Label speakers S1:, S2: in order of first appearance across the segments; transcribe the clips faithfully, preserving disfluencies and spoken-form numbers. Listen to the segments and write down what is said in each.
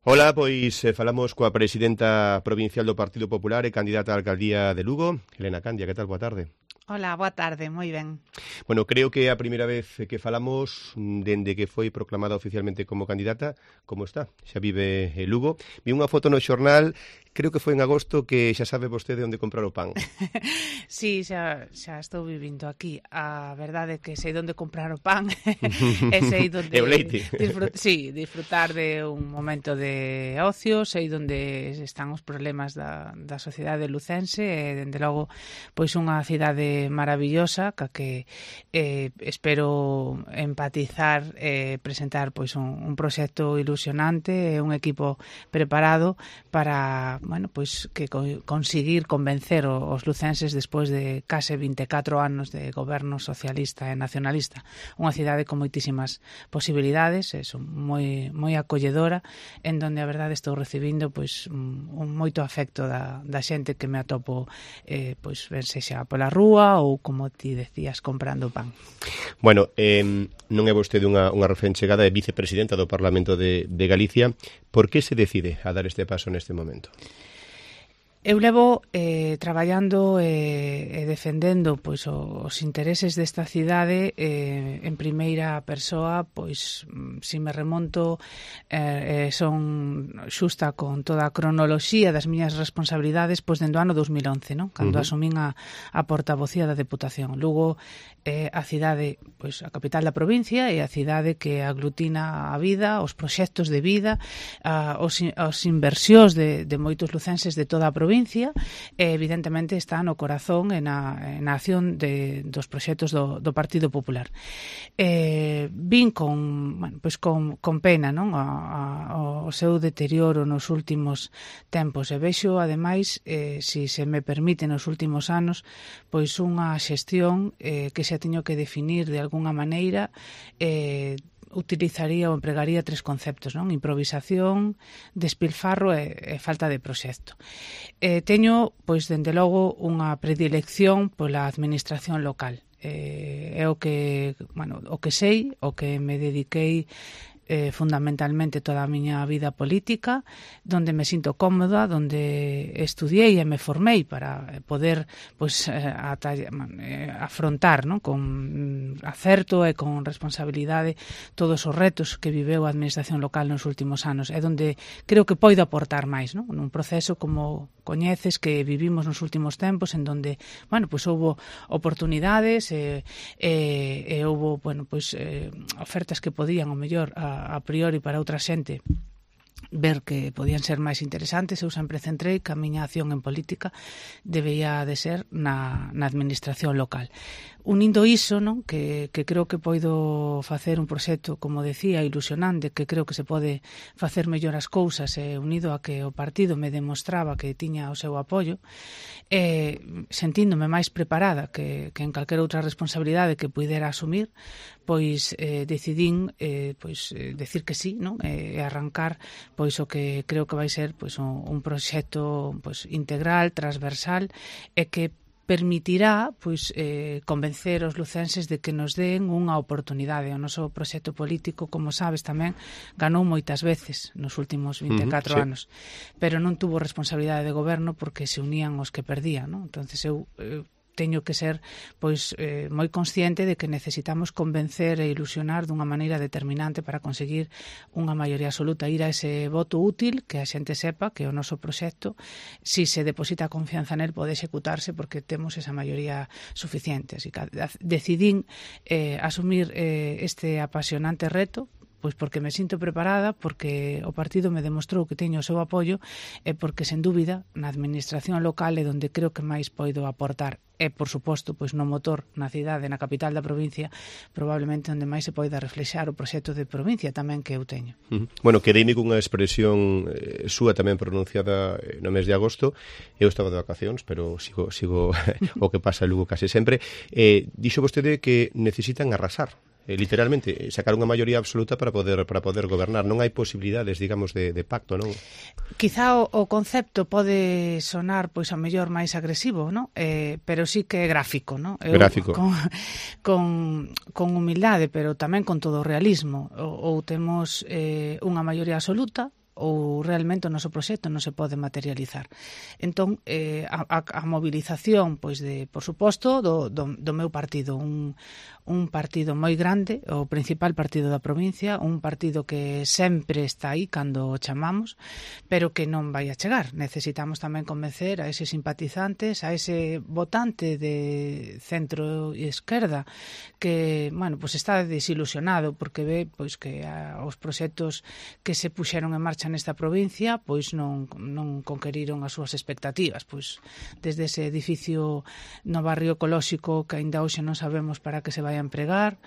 S1: Ola, pois eh, falamos coa presidenta provincial do Partido Popular e candidata á alcaldía de Lugo, Helena Candia. Que tal? Boa tarde.
S2: Hola, boa tarde, moi ben.
S1: Bueno, creo que é a primeira vez que falamos dende que foi proclamada oficialmente como candidata. Como está? Xa vive en Lugo. Vi unha foto no xornal, creo que foi en agosto, que xa sabe vostede onde comprar o pan.
S2: Sí, xa, xa estou vivindo aquí. A verdade é que sei onde comprar o pan e sei onde...
S1: E o leite.
S2: Disfrut... Sí, disfrutar de un momento de ocio, sei onde están os problemas da, da sociedade lucense e, dende logo, pois unha cidade maravillosa ca que eh, espero empatizar e eh, presentar pois un, un proxecto ilusionante e un equipo preparado para, bueno, pois que co conseguir convencer os lucenses despois de case vinte e catro anos de goberno socialista e nacionalista. Unha cidade con moitísimas posibilidades, é moi moi acolledora, en donde a verdade estou recibindo pois un, un moito afecto da, da xente que me atopo eh, pois ben sexa pola rúa ou, como ti decías, comprando pan.
S1: Bueno, eh, non é vostede unha, unha recén chegada, é vicepresidenta do Parlamento de, de Galicia. Por que se decide a dar este paso neste momento?
S2: Eu levo eh, traballando e eh, defendendo pois os intereses desta cidade eh, en primeira persoa, pois se me remonto eh, son xusta con toda a cronoloxía das miñas responsabilidades pois dende o ano dos mil once, non? Cando uh -huh. asumín a, a portavocía da Deputación. Lugo eh, a cidade, pois a capital da provincia e a cidade que aglutina a vida, os proxectos de vida, a, os, os inversións de, de moitos lucenses de toda a provincia provincia, e evidentemente está no corazón e na, na acción de, dos proxectos do, do Partido Popular. Eh, vin con, bueno, pues con, con pena, non, a, a, o seu deterioro nos últimos tempos, e vexo, ademais, eh, si se me permite, nos últimos anos, pois unha xestión eh, que xa teño que definir de algunha maneira, eh, utilizaría ou empregaría tres conceptos, non? Improvisación, despilfarro e, e falta de proxecto. Eh, teño, pois, dende logo, unha predilección pola administración local. Eh, é o que, bueno, o que sei, o que me dediquei Eh, fundamentalmente toda a miña vida política, donde me sinto cómoda, donde estudiei e me formei para poder pois, eh, eh, afrontar, non? Con acerto e con responsabilidade todos os retos que viveu a administración local nos últimos anos. É donde creo que poido aportar máis, non? Nun proceso como coñeces que vivimos nos últimos tempos, en donde, bueno, pois houbo oportunidades e, e, e houbo, bueno, pois eh, ofertas que podían, ao mellor, a a priori para outra xente ver que podían ser máis interesantes. Eu sempre centrei que a miña acción en política debía de ser na, na administración local. Unindo iso, non, que, que creo que poido facer un proxecto, como decía, ilusionante, que creo que se pode facer mellor as cousas, e unido a que o partido me demostraba que tiña o seu apoio, e sentíndome máis preparada que, que en calquera outra responsabilidade que puidera asumir, pois eh, decidín eh, pois, eh, decir que sí, non? E arrancar pois o que creo que vai ser pois un, un proxecto pois integral, transversal, e que permitirá pois eh, convencer os lucenses de que nos den unha oportunidade. O noso proxecto político, como sabes, tamén ganou moitas veces nos últimos vinte e catro uh -huh, sí. anos, pero non tuvo responsabilidade de goberno porque se unían os que perdían, non? Entonces eu, eu teño que ser pois eh, moi consciente de que necesitamos convencer e ilusionar dunha maneira determinante para conseguir unha maioría absoluta, ir a ese voto útil, que a xente sepa que o noso proxecto, si se deposita confianza nel, pode executarse porque temos esa maioría suficiente. Así que decidín eh, asumir eh, este apasionante reto, pois porque me sinto preparada, porque o partido me demostrou que teño o seu apoio e porque, sen dúbida, na administración local é onde creo que máis poido aportar. E, por suposto, pois no motor, na cidade, na capital da provincia, probablemente onde máis se poida reflexar o proxecto de provincia tamén que eu teño.
S1: Uh -huh. Bueno, quedeime cunha expresión eh, súa tamén pronunciada no mes de agosto. Eu estaba de vacacións, pero sigo, sigo o que pasa en Lugo case sempre. Eh, dixo vostede que necesitan arrasar. Eh, literalmente, sacar unha maioría absoluta para poder para poder gobernar. Non hai posibilidades, digamos, de, de pacto, non?
S2: Quizá o, o concepto pode sonar, pois, a mellor máis agresivo, non? Eh, pero sí que é gráfico, non? Eu,
S1: gráfico.
S2: Con, con, con humildade, pero tamén con todo o realismo. Ou, ou temos eh, unha maioría absoluta, ou realmente o noso proxecto non se pode materializar. Entón, eh, a, a, a movilización, pois de, por suposto, do, do, do meu partido, un, un partido moi grande, o principal partido da provincia, un partido que sempre está aí cando o chamamos, pero que non vai a chegar. Necesitamos tamén convencer a eses simpatizantes, a ese votante de centro e esquerda que, bueno, pois está desilusionado porque ve pois que a, os proxectos que se puxeron en marcha nesta provincia pois non, non conqueriron as súas expectativas. Pois desde ese edificio no barrio ecolóxico que aínda hoxe non sabemos para que se vai a empregar,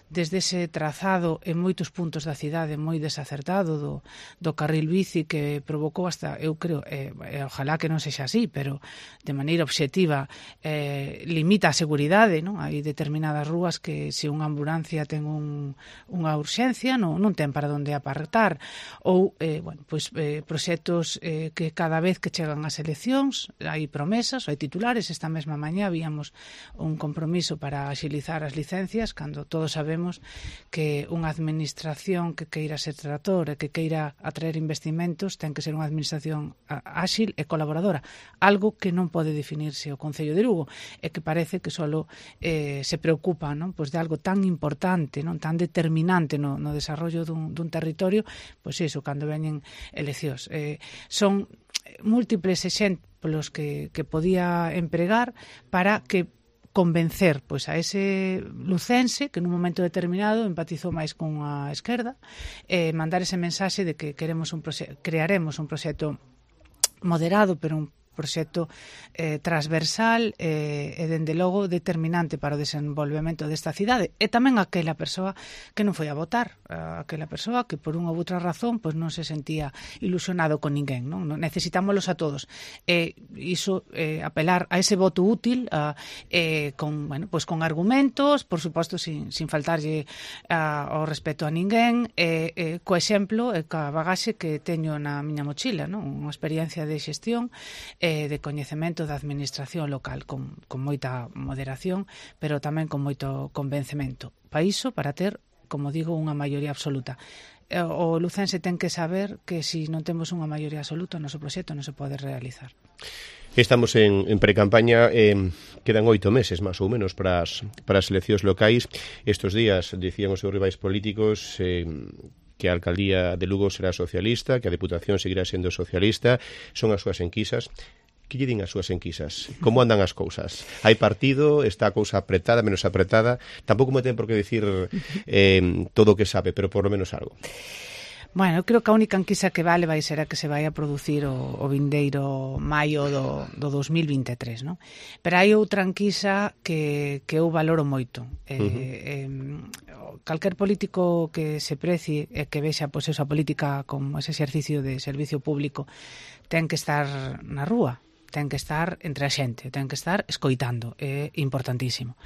S2: desde ese trazado en moitos puntos da cidade moi desacertado do, do carril bici que provocou hasta, eu creo, eh, eh, ojalá que non sexa así, pero de maneira obxectiva eh, limita a seguridade, non? Hai determinadas rúas que se unha ambulancia ten un, unha urxencia non, non ten para onde apartar, ou eh, bueno, pois, eh, proxectos eh, que cada vez que chegan as eleccións hai promesas, hai titulares. Esta mesma mañá víamos un compromiso para axilizar as licencias, cando todos sabemos que unha administración que queira ser trator e que queira atraer investimentos ten que ser unha administración áxil e colaboradora, algo que non pode definirse o Concello de Lugo e que parece que solo eh, se preocupa, non, pois de algo tan importante, non, tan determinante no, no desarrollo dun, dun territorio, pois iso, cando veñen eleccións. Eh, son múltiples exemplos que, que podía empregar para que convencer pois a ese lucense que nun momento determinado empatizou máis con a esquerda, eh, mandar ese mensaxe de que queremos un proxe- crearemos un proxecto moderado, pero un proxecto eh, transversal eh, e, dende logo, determinante para o desenvolvemento desta cidade. E tamén aquela persoa que non foi a votar, aquela persoa que por unha ou outra razón pois non se sentía ilusionado con ninguén, non? Necesitámolos a todos. E iso, eh, apelar a ese voto útil, a, eh, con, bueno, pois con argumentos, por suposto, sin, sin faltarlle a, ao respeto a ninguén, e eh, co exemplo e ca bagaxe que teño na miña mochila, non? Unha experiencia de xestión de coñecemento da administración local con, con moita moderación, pero tamén con moito convencemento. Para iso, para ter, como digo, unha maioría absoluta. O lucense ten que saber que se non temos unha maioría absoluta, o noso proxecto non se pode realizar.
S1: Estamos en, en pre-campaña, eh, quedan oito meses máis ou menos para as, para as eleccións locais. Estos días, dicían os seus rivais políticos, eh, que a alcaldía de Lugo será socialista, que a Deputación seguirá sendo socialista, son as súas enquisas. Que lle din as súas enquisas? Como andan as cousas? Hai partido? Está a cousa apretada, menos apretada? Tampouco me ten por que dicir eh, todo o que sabe, pero por lo menos algo.
S2: Bueno, eu creo que a única enquisa que vale vai ser a que se vai a producir o, o vindeiro maio do, do dos mil vinte e tres, non? Pero hai outra enquisa que, que eu valoro moito. Eh, uh-huh. eh, calquer político que se precie e que vexa pois, esa política como ese exercicio de servicio público ten que estar na rúa, ten que estar entre a xente, ten que estar escoitando, é importantísimo.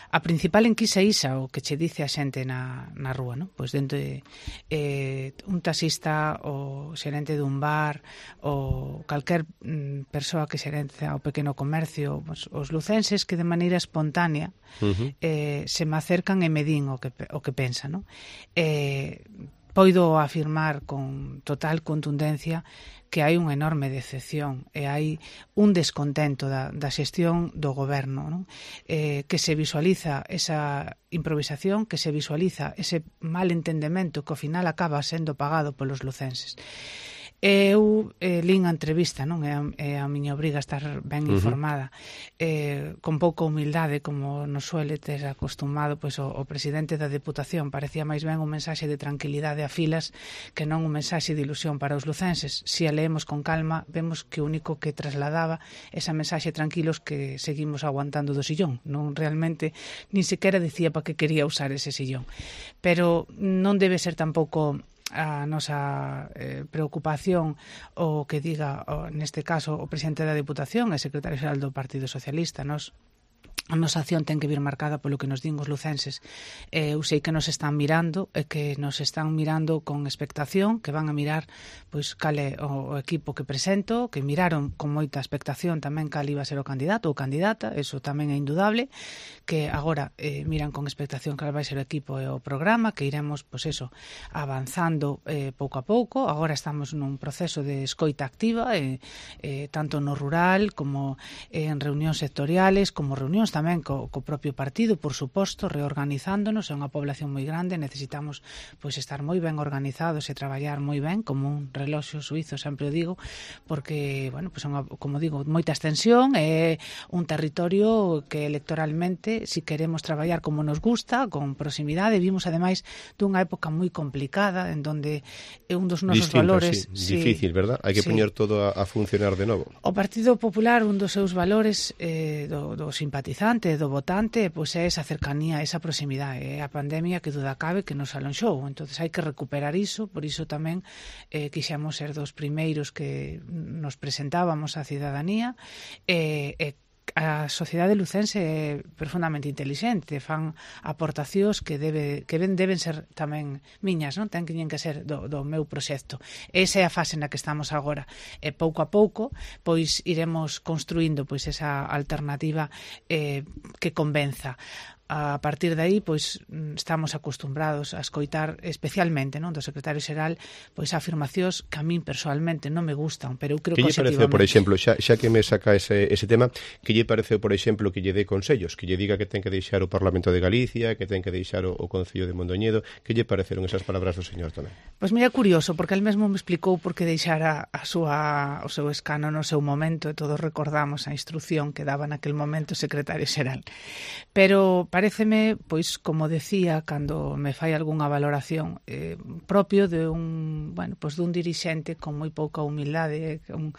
S2: A principal enquisa isa, o que che dice a xente na, na rúa, non? Pois dentro de eh, un taxista, o xerente dun bar, ou calquer mm, persoa que xerente ao pequeno comercio, pois, os lucenses que de maneira espontánea uh-huh. eh, se me acercan e me din o que, o que pensan, non? Eh, poido afirmar con total contundencia que hai unha enorme decepción e hai un descontento da, da xestión do goberno, non? Eh, que se visualiza esa improvisación, que se visualiza ese mal entendemento que ao final acaba sendo pagado polos lucenses. Eu eh, lín a entrevista, non? É a, é a miña obriga estar ben informada, uh-huh. eh, con pouca humildade, como nos suele ter acostumado pois, o, o presidente da Deputación. Parecía máis ben un mensaxe de tranquilidade a filas que non un mensaxe de ilusión para os lucenses. Se a leemos con calma, vemos que o único que trasladaba esa mensaxe tranquilos que seguimos aguantando do sillón. Non realmente, nin sequera dicía para que quería usar ese sillón. Pero non debe ser tampouco a nosa eh, preocupación o que diga, o, neste caso, o presidente da Deputación e secretario xeral do Partido Socialista. Nos a nosa acción ten que vir marcada polo que nos din os lucenses. Eh, eu sei que nos están mirando e que nos están mirando con expectación, que van a mirar pois cal é o, o equipo que presento, que miraron con moita expectación tamén cal iba a ser o candidato ou candidata, eso tamén é indudable, que agora eh, miran con expectación cal vai ser o equipo e o programa, que iremos, pois eso, avanzando eh, pouco a pouco. Agora estamos nun proceso de escoita activa, eh, eh, tanto no rural como eh, en reunións sectoriales, como reunións tamén co, co propio partido, por suposto, reorganizándonos. É unha población moi grande, necesitamos pois estar moi ben organizados e traballar moi ben, como un reloxo suizo, sempre o digo, porque, bueno, pois unha, como digo, moita extensión, é un territorio que electoralmente, si queremos traballar como nos gusta, con proximidade, vimos ademais dunha época moi complicada, en donde un dos nosos
S1: Distinto,
S2: valores...
S1: Sí, difícil, verdad? Hai que
S2: sí.
S1: poñer todo a, a funcionar de novo.
S2: O Partido Popular, un dos seus valores eh, do, do simpatizante, do votante, pois é esa cercanía, esa proximidade. É a pandemia que duda cabe que nos alonxou. Entonces hai que recuperar iso, por iso tamén eh, quixemos ser dos primeiros que nos presentábamos á cidadanía e eh, eh, a sociedade lucense é profundamente intelixente, fan aportacións que debe que ben deben ser tamén miñas, non? Ten que que ser do, do meu proxecto. Esa é a fase na que estamos agora. E pouco a pouco, pois iremos construindo pois esa alternativa eh, que convenza. A partir de aí, pois estamos acostumbrados a escoitar especialmente, non, do secretario xeral, pois afirmacións que a min persoalmente non me gustan, pero eu creo que
S1: lle pareceu, por exemplo, xa, xa que me saca ese, ese tema, que lle pareceu, por exemplo, que lle dé consellos, que lle diga que ten que deixar o Parlamento de Galicia, que ten que deixar o, o Concello de Mondoñedo, que lle pareceron esas palabras do señor tamén?
S2: Pois mira, curioso, porque el mesmo me explicou por que deixara a súa, o seu escano no seu momento, e todos recordamos a instrucción que daba naquel momento o secretario xeral. Pero paréceme, pois, como decía, cando me fai algunha valoración eh, propio de un, bueno, pois dun dirixente con moi pouca humildade, un,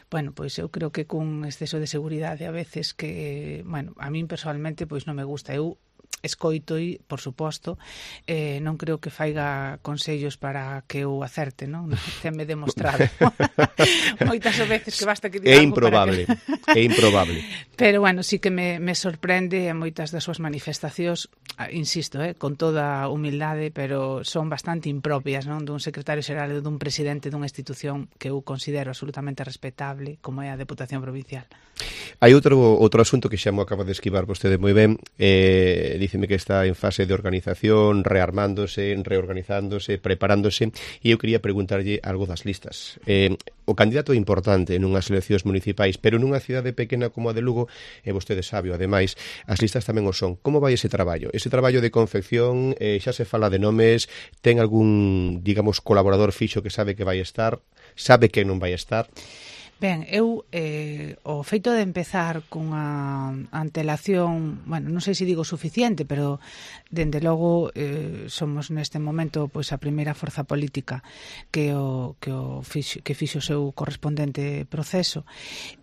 S2: bueno, pois eu creo que cun exceso de seguridade a veces que, bueno, a min personalmente pois non me gusta. Eu escoito e, por suposto, eh, non creo que faiga consellos para que eu acerte, non? Tenme demostrado moitas veces que basta que diga
S1: é
S2: algo
S1: improbable,
S2: para que...
S1: é improbable.
S2: Pero, bueno, sí que me, me sorprende en moitas das súas manifestacións, insisto, eh, con toda humildade, pero son bastante impropias, non? Dun secretario xeral ou dun presidente dunha institución que eu considero absolutamente respetable, como é a Deputación Provincial.
S1: Hai outro outro asunto que xa mo acaba de esquivar vostede moi ben, eh, diceme que está en fase de organización, rearmándose, reorganizándose, preparándose, e eu quería preguntarlle algo das listas. Eh, o candidato é importante nunhas eleccións municipais, pero nunha cidade pequena como a de Lugo, e vostede sabe, ademais, as listas tamén o son. Como vai ese traballo? Ese traballo de confección, eh, xa se fala de nomes, ten algún, digamos, colaborador fixo que sabe que vai estar, sabe que non vai estar?
S2: Ben, eu eh, o feito de empezar cunha antelación, bueno, non sei se digo suficiente, pero dende logo eh, somos neste momento pois a primeira forza política que o que o fixo, que fixo o seu correspondente proceso,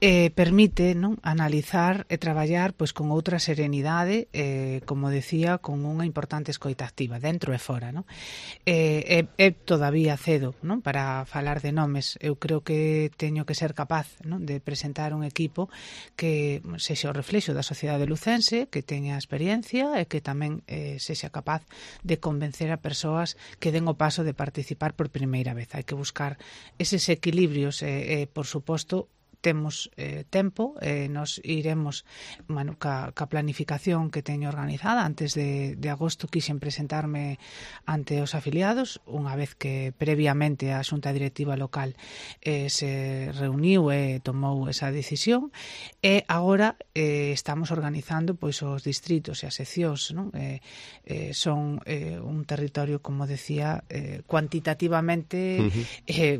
S2: eh, permite, non, analizar e traballar pois con outra serenidade, eh, como decía, con unha importante escoita activa dentro e fora, non? Eh, é, é todavía cedo, non, para falar de nomes. Eu creo que teño que ser capaz, non, de presentar un equipo que sexa o reflexo da sociedade lucense, que teña experiencia e que tamén eh, sexa capaz de convencer a persoas que den o paso de participar por primeira vez. Hai que buscar eses equilibrios e, eh, por suposto, temos eh, tempo, eh, nos iremos, bueno, ca, ca planificación que teño organizada. Antes de, de agosto quixen presentarme ante os afiliados, unha vez que previamente a Xunta Directiva Local eh, se reuniu e tomou esa decisión, e agora eh, estamos organizando pois os distritos e as seccións, non? Eh, eh, son eh, un territorio, como decía, eh, cuantitativamente uh-huh. eh,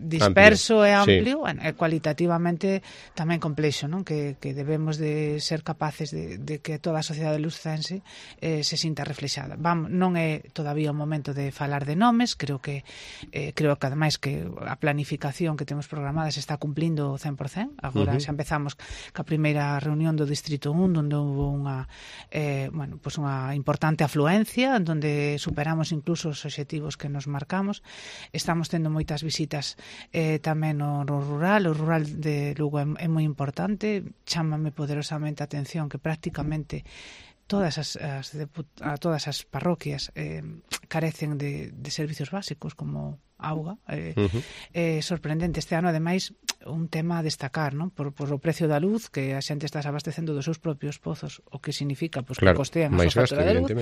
S2: disperso amplio. E amplio, sí. Bueno, e cualitativamente tamén complexo, non? Que, que debemos de ser capaces de, de que toda a sociedade lucense eh, se sinta reflexada. Vamos, non é todavía o momento de falar de nomes, creo que eh, creo que ademais que a planificación que temos programada se está cumplindo cen por cen. Agora uh-huh. xa empezamos ca primeira reunión do Distrito un, onde houve unha eh, bueno, pues unha importante afluencia, onde superamos incluso os obxectivos que nos marcamos. Estamos tendo moitas visitas eh, tamén no, no rural, o rural de Lugo é, é moi importante. Chámame poderosamente a atención que prácticamente todas as, as a todas as parroquias eh, carecen de, de servicios básicos como auga. Eh, uh -huh. É sorprendente este ano, ademais, un tema a destacar, non? Por, por o precio da luz, que a xente está abastecendo dos seus propios pozos, o que significa pues, claro, que costean a súa factura de luz.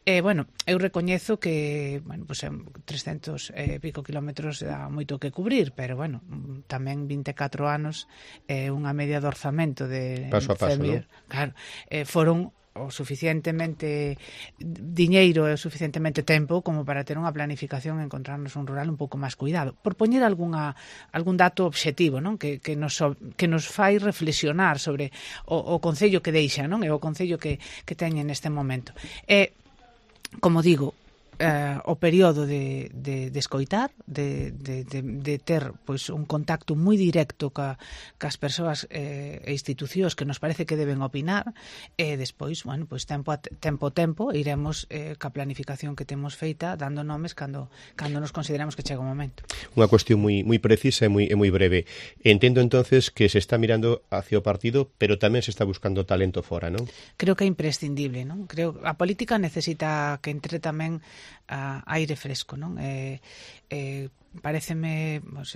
S2: Eh, bueno, eu recoñezo que bueno, pues, trescentos e pico kilómetros dá moito que cubrir, pero bueno, tamén vinte e catro anos é eh, unha media de orzamento de
S1: paso a paso, non?
S2: Claro, eh, foron o suficientemente diñeiro e o suficientemente tempo como para ter unha planificación e encontrarnos un rural un pouco máis cuidado. Por poñer algunha, algún dato obxectivo, non? Que, que, nos, que nos fai reflexionar sobre o, o concello que deixa, non? E o concello que, que teñen neste momento. E, como digo, eh, o período de, de, de escoitar, de, de, de, de ter pois, un contacto moi directo ca, cas persoas eh, e institucións que nos parece que deben opinar, e despois, bueno, pois tempo a tempo, tempo iremos eh, ca planificación que temos feita, dando nomes cando, cando nos consideramos que chega o momento.
S1: Unha cuestión moi, moi precisa e moi, e moi breve. Entendo entonces que se está mirando hacia o partido, pero tamén se está buscando talento fora, non?
S2: Creo que é imprescindible, non? Creo a política necesita que entre tamén a aire fresco, non? Eh, eh, pareceme, pues,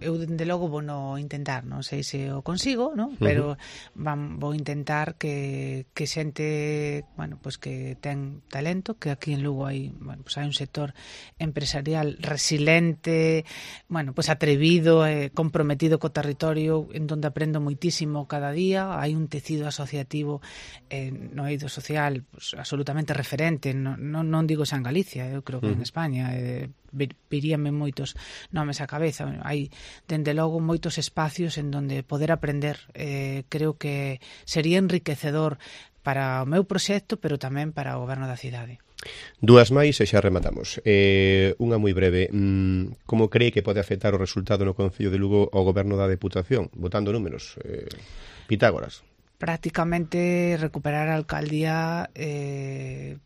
S2: eu dende logo vou no intentar, non sei se o consigo, non? Pero van, vou intentar que, que xente, bueno, pues que ten talento, que aquí en Lugo hai, bueno, pues hai un sector empresarial resilente, bueno, pues atrevido, eh, comprometido co territorio, en donde aprendo moitísimo cada día. Hai un tecido asociativo eh, no eido social pues, absolutamente referente, non, non, non digo xa en Galicia, eu creo que en España, eh, viríame moitos nomes á cabeza. Hai, dende logo, moitos espacios en donde poder aprender. Eh, creo que sería enriquecedor para o meu proxecto, pero tamén para o goberno da cidade.
S1: Dúas máis e xa rematamos. Eh, unha moi breve. Mm, como cree que pode afectar o resultado no Concello de Lugo ao goberno da Deputación? Botando números. Eh, Pitágoras.
S2: Prácticamente recuperar a alcaldía eh,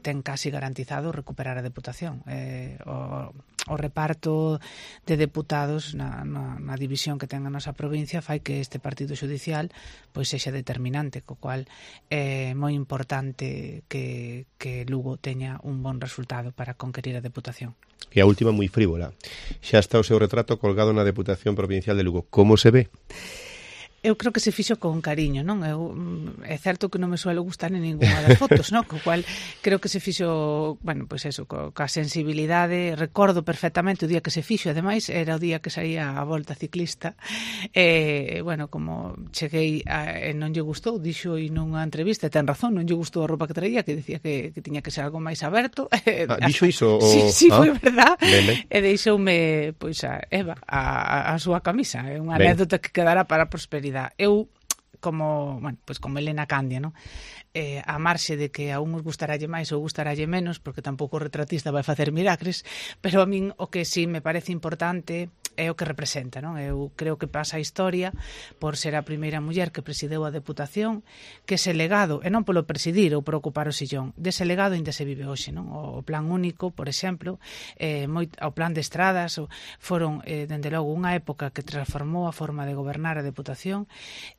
S2: ten casi garantizado recuperar a Deputación. Eh, o, o reparto de deputados na, na, na división que ten a nosa provincia fai que este partido xudicial pois sexa determinante, co cual é moi importante que, que Lugo teña un bon resultado para conquerir a Deputación.
S1: E a última moi frívola. Xa está o seu retrato colgado na Deputación Provincial de Lugo. Como se ve?
S2: Eu creo que se fixo con cariño, non? Eu, é certo que non me suelo gustar en ninguna das fotos, non? Co cual creo que se fixo, bueno, pois eso, co, ca sensibilidade. Recordo perfectamente o día que se fixo, ademais era o día que saía a volta ciclista. E, bueno, como cheguei a, e non lle gustou, dixo e nunha entrevista, ten razón, non lle gustou a roupa que traía, que dicía que, que tiña que ser algo máis aberto.
S1: Ah, dixo iso? O...
S2: Sí, sí, ah, foi verdad.
S1: Ben, ben.
S2: E deixoume, pois, a Eva, a, a súa camisa. É unha anécdota que quedará para a prosperidade. Eu, como, bueno, pues como Elena Candia, ¿no? Eh, a marxe de que a uns gustaralle máis ou gustaralle menos, porque tampouco o retratista vai facer milagres, pero a min o que sí me parece importante é o que representa, non? Eu creo que pasa a historia por ser a primeira muller que presideu a Deputación, que ese legado, e non polo presidir ou por ocupar o sillón, dese legado ainda se vive hoxe, non? O plan único, por exemplo, eh, moi, o plan de estradas, o, foron, eh, dende logo, unha época que transformou a forma de gobernar a Deputación.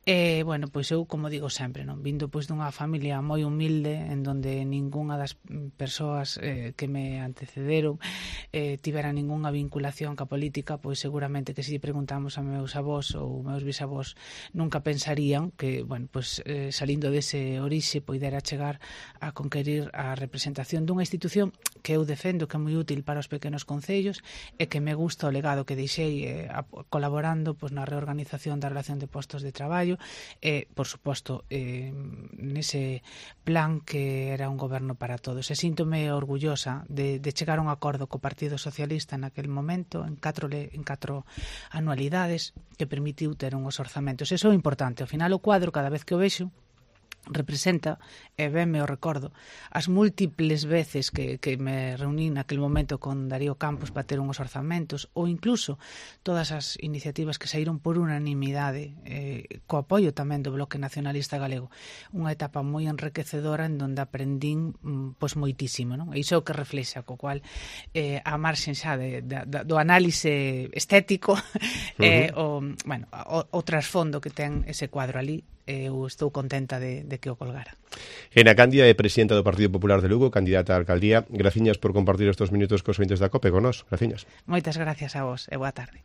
S2: E, eh, bueno, pois eu, como digo sempre, non? Vindo pois dunha familia moi humilde, en donde ningunha das persoas eh, que me antecederon eh, tivera ningunha vinculación ca política, pois seguramente que se preguntamos a meus avós ou meus bisavós nunca pensarían que, bueno, pues, eh, salindo dese orixe poidera chegar a conquerir a representación dunha institución que eu defendo que é moi útil para os pequenos concellos e que me gusta o legado que deixei eh, a, colaborando pues, na reorganización da relación de postos de traballo e, eh, por suposto, eh, nese plan que era un goberno para todos. E síntome orgullosa de, de chegar a un acordo co Partido Socialista naquel momento en catro, en catro anualidades que permitiu ter unhos orzamentos. Eso é importante. Ao final o cuadro, cada vez que o vexo, representa, e ben me o recordo, as múltiples veces que, que me reuní naquele momento con Darío Campos para ter unhos orzamentos, ou incluso todas as iniciativas que saíron por unanimidade, eh, co apoio tamén do Bloque Nacionalista Galego. Unha etapa moi enriquecedora en donde aprendín pois moitísimo, non? E iso é o que reflexa, co cual eh, a marxen xa de, de, de, do análise estético, uh-huh. eh, o, bueno, o, o trasfondo que ten ese cuadro ali, eu estou contenta de, de que o colgara.
S1: Ena Candia é presidenta do Partido Popular de Lugo, candidata á alcaldía. Graciñas por compartir estes minutos cos ointes da COPE con nós. Graciñas.
S2: Moitas gracias a vos e boa tarde.